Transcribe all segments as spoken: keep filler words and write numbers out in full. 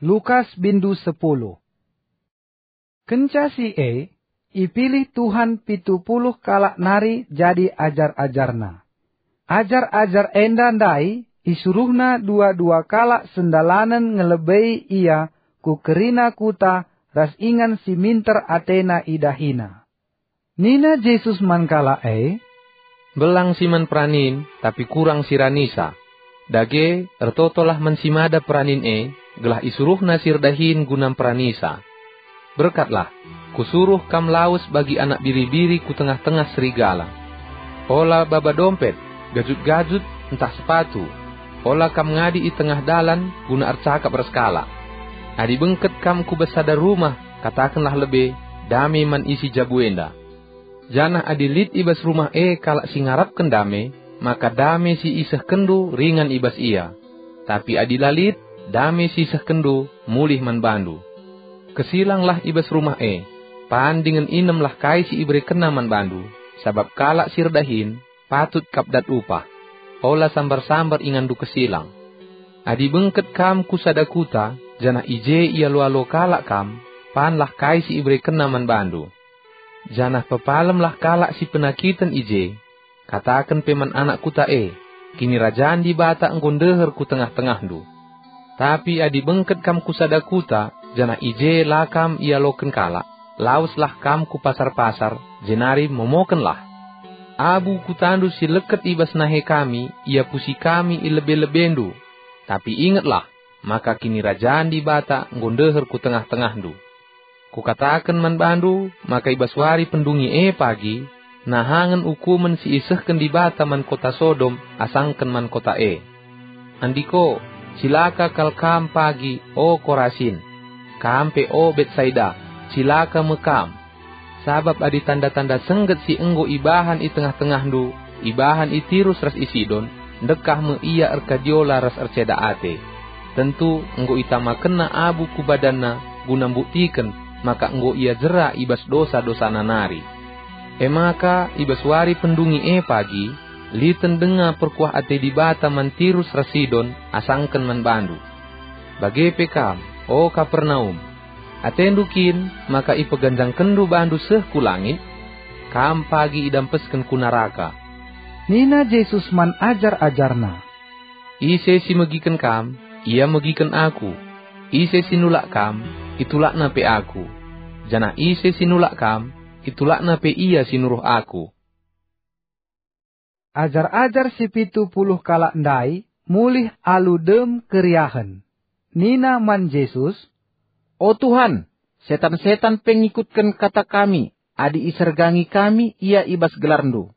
Lukas bindu sepuluh. Kenca si e, ipilih Tuhan pitu puluh kalak nari jadi ajar-ajarNa. Ajar-ajar enda ndai isuruhNa dua-dua kalak sendalanen ngelebei Ia ku kerina kuta ras ingan si minter atena idahiNa. Nina Jesus man kalak e, "Mbelang si man peranin, tapi kurang si ranisa. Dage, ertotolah man si mada peranin e, gelah isuruhna si erdahin guna mperanisa. Berkatlah, Kusuruh kam lawes bagi anak biri-biri ku tengah-tengah serigala. Ola baba dompet, gajut-gajut, ntah sepatu. Ola kam ngadi i tengah dalan guna ercakap ras kalak. Adi bengket kam ku bas sada rumah, katakenlah lebe, 'Dame man isi jabu enda.' Janah adi lit i bas rumah e kalak si ngarapken dame, maka dame si isehkenndu ringan i bas ia. Tapi adi la lit, dame si isehkenndu mulih man bandu. Kesilanglah i bas rumah e, pan dingen inemlah kai si iberekenna man bandu, sabap kalak si erdahin patut kap dat upah. Ola sambar-sambar inganndu kesilang. Adi bengket kam ku sada kuta, janah i je ialo-alo kalak kam, panlah kai si iberekenna man bandu. Janah pepalemlah kalak si penakiten i je. Kataken pe man anak kuta e, 'Kinirajan Dibata enggo ndeher ku tengah-tengahndu.' Tapi adi bengket kam ku sada kuta, janah i je la kam ialoken kalak, laweslah kam ku pasar-pasar, jenari momokenlah. Abu kutandu si leket i bas nahe kami iapusi kami i lebe-lebendu. Tapi ingetlah, maka Kinirajan Dibata enggo ndeher ku tengah-tengahndu. Kukataken man bandu maka i bas wari pendungi e pagi, nahangen ukumen si isehken Dibata man kota Sodom asangken man kota e. Andiko, cilaka kal kam pagi, o Korasin! Kam pe, o Betsaida, cilaka me kam! Sabap adi tanda-tanda sengget si enggo ibahan i tengah-tengahndu ibahan i Tirus ras i Sidon, ndekah me ia erkadiola ras erceda ate. Tentu enggo itamakenna abu ku badanna guna mbuktiken maka enggo ia jera i bas dosa-dosana nari. E maka, i bas wari pendungi e pagi, liten denga perkuah ate Dibata man Tirus ras Sidon asangken man bandu. Bage pe kam, o Kapernaum! Atendu kin maka ipeganjangkenndu bandu seh ku langit? Kam pagi idampesken ku naraka." Nina Jesus man ajar-ajarNa, "Ise si megiken kam, ia megiken Aku. Ise si nulak kam, itulakna pe Aku. Janah ise si nulak kam, itulakna pe ia si nuruh Aku." Ajar-ajar si pitu puluh kalak ndai mulih alu dem keriahen. Nina man Jesus, "O Tuhan, setan-setan pe ngikutken kata kami adi isergangi kami ia i bas gelarNdu."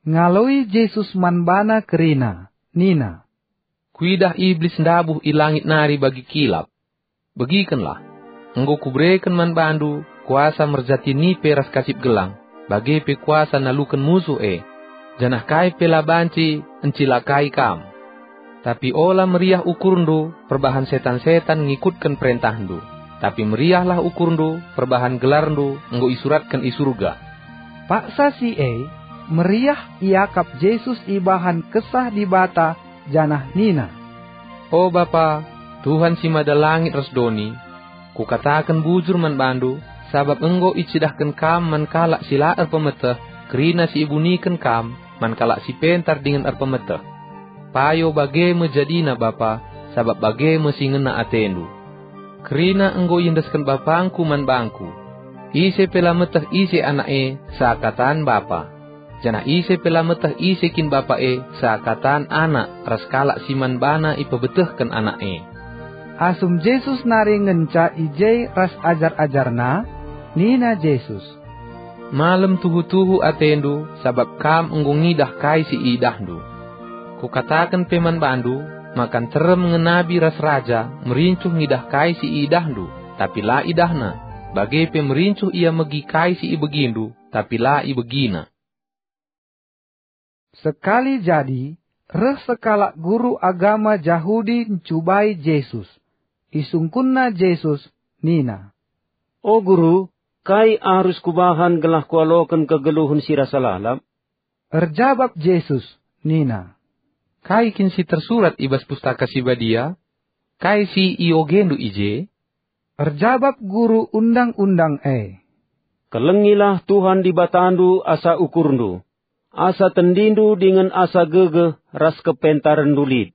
Ngaloi Jesus man bana kerina, nina, "Kuidah Iblis ndabuh i langit nari bagi kilap. Begikenlah, enggo Kubereken man bandu kuasa merjati nipe ras kasip gelang, bage pe kuasa naluken musuh e, janah kai pe la banci encilakai kam. Tapi ola meriah ukurndu perbahan setan-setan ngikutken perentahndu, tapi meriahlah ukurndu perbahan gelarndu enggo isuratken i Surga." Paksa si e, meriah iakap Jesus ibahan Kesah Dibata janah nina, "O Bapa, Tuhan si mada langit ras doni, Kukataken bujur man bandu, sabap enggo icidahken kam man kalak si la erpemeteh kerina si ibuniken kam man kalak si pentar dingen erpemeteh. Payo bage me jadina Bapa, sabap bage me si ngena atendu. Kerina enggo iendesken BapangKu man bangKu. Ise pe la meteh ise Anak e seakatan Bapa. Janah ise pe la meteh ise kin Bapa e seakatan Anak ras kalak si man baNa ipebetehken Anak e." Asum Jesus nari ngenca i je ras ajar-ajarNa, nina Jesus, "Malem tuhu-tuhu atendu sabap kam enggo ngidah kai si iidahndu. Kukataken pe man bandu, maka nterem nge nabi ras raja merincuh ngidah kai si iidahndu, tapi la idahna, bage pe merincuh ia megi kai si ibegindu, tapi la ibegina." Sekali jadi, reh sekalak guru agama Jahudi ncubai Jesus. Isungkunna Jesus nina, "O Guru, kai arus kubahan gelah kualoken kegeluhen si rasa lalap?" Erjabap Jesus nina, "Kai kin si tersurat i bas Pustaka Si Badia? "Kai si iogendu i je?" Erjabap guru undang-undang e, "Kelengilah Tuhan Dibatandu asa ukurndu, asa tendindu dingen asa gegeh ras kepentarenndu lit.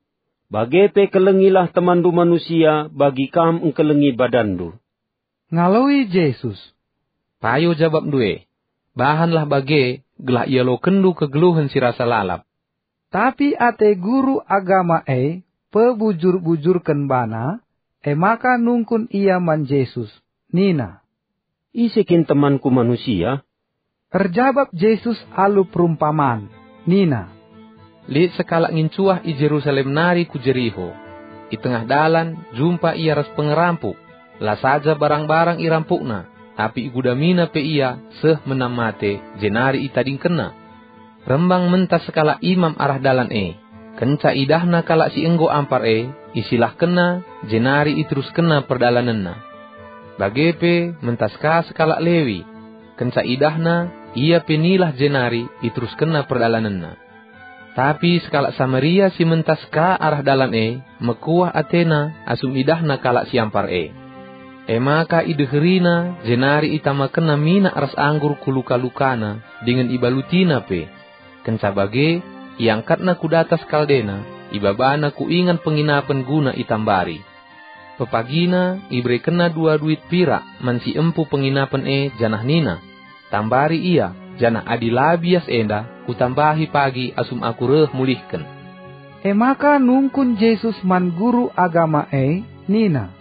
Bage pe kelengilah temanndu manusia bagi kam engkelengi badanndu." Ngaloi Jesus, "Payo jabapndu e, bahanlah bage gelah ialokenndu kegeluhen si rasa lalap." Tapi ate guru agama e pebujur-bujurken bana, e maka nungkun ia man Jesus, nina, "Ise kin temanku manusia?" Erjabap Jesus alu perumpaman, nina, "Lit sekalak ngincuah i Jerusalem nari ku Jeriho. I tengah dalan jumpa ia ras pengerampuk. La saja barang-barang irampukna, tapi igudamina pe ia seh menam mate, jenari itadingkenna. Rembang mentas sekalak imam arah dalan e. Kenca idahna kalak si enggo ampar e, isilahkenna, jenari iteruskenna perdalanenna. Bage pe mentas ka sekalak Lewi. Kenca idahna, ia pe nilah jenari iteruskenna perdalanenna. Tapi sekalak Samaria si mentas ka arah dalan e mekuah atena asum idahna kalak si ampar e. E maka ideherina jenari itamakenna minak ras anggur ku luka-lukana dingen ibalutina pe. Kenca bage, iangkatna ku datas kaldena, ibabana ku ingan penginapen guna itambari. Pepagina iberekenna dua duit pirak man si empu penginapen e janah nina, 'Tambari ia, janah adi la bias enda, kutambahi pagi asum aku reh mulihken.'" E maka nungkun Jesus man guru agama e nina,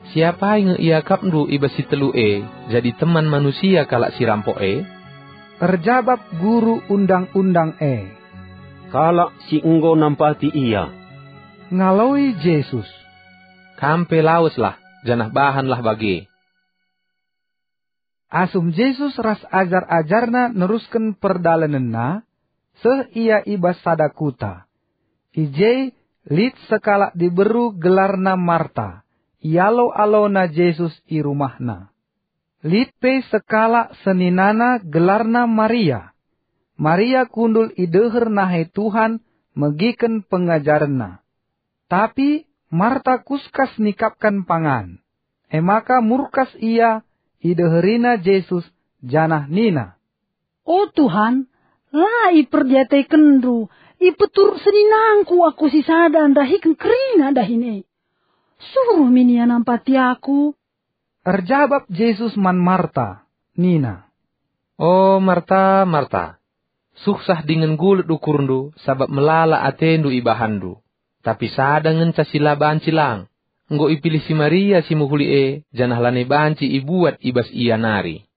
"Si apai nge iakapndu i bas si telu e jadi teman manusia kalak si rampok e?" Erjabap guru undang-undang e, "Kalak si enggo nampati ia." Ngaloi Jesus, "Kam pe laweslah, janah bahanlah bage." Asum Jesus ras ajar-ajarNa nerusken perdalanenNa, seh Ia i bas sada kuta. I je lit sekalak diberu gelarna Marta, ialo-alona Jesus i rumahna. Lit pe sekalak seninana gelarna Maria. Maria kundul i deher nahe Tuhan megiken pengajarenNa. Tapi Marta kuskas nikapken pangan. E maka murkas ia, ideherina Jesus, janah nina, "O Tuhan, la iperdiatekenNdu, ipeturuk seninangku aku si sada ndahiken kerina dahin e. Suruh min ia nampati aku." Erjabap Jesus man Marta, nina, "O Marta, Marta, suhsah dingen gulut ukurndu sabap melala atendu ibahanndu. Tapi sada ngenca si la banci lang. Enggo ipilih si Maria si mehuli e, janah lanai banci ibuat i bas ia nari."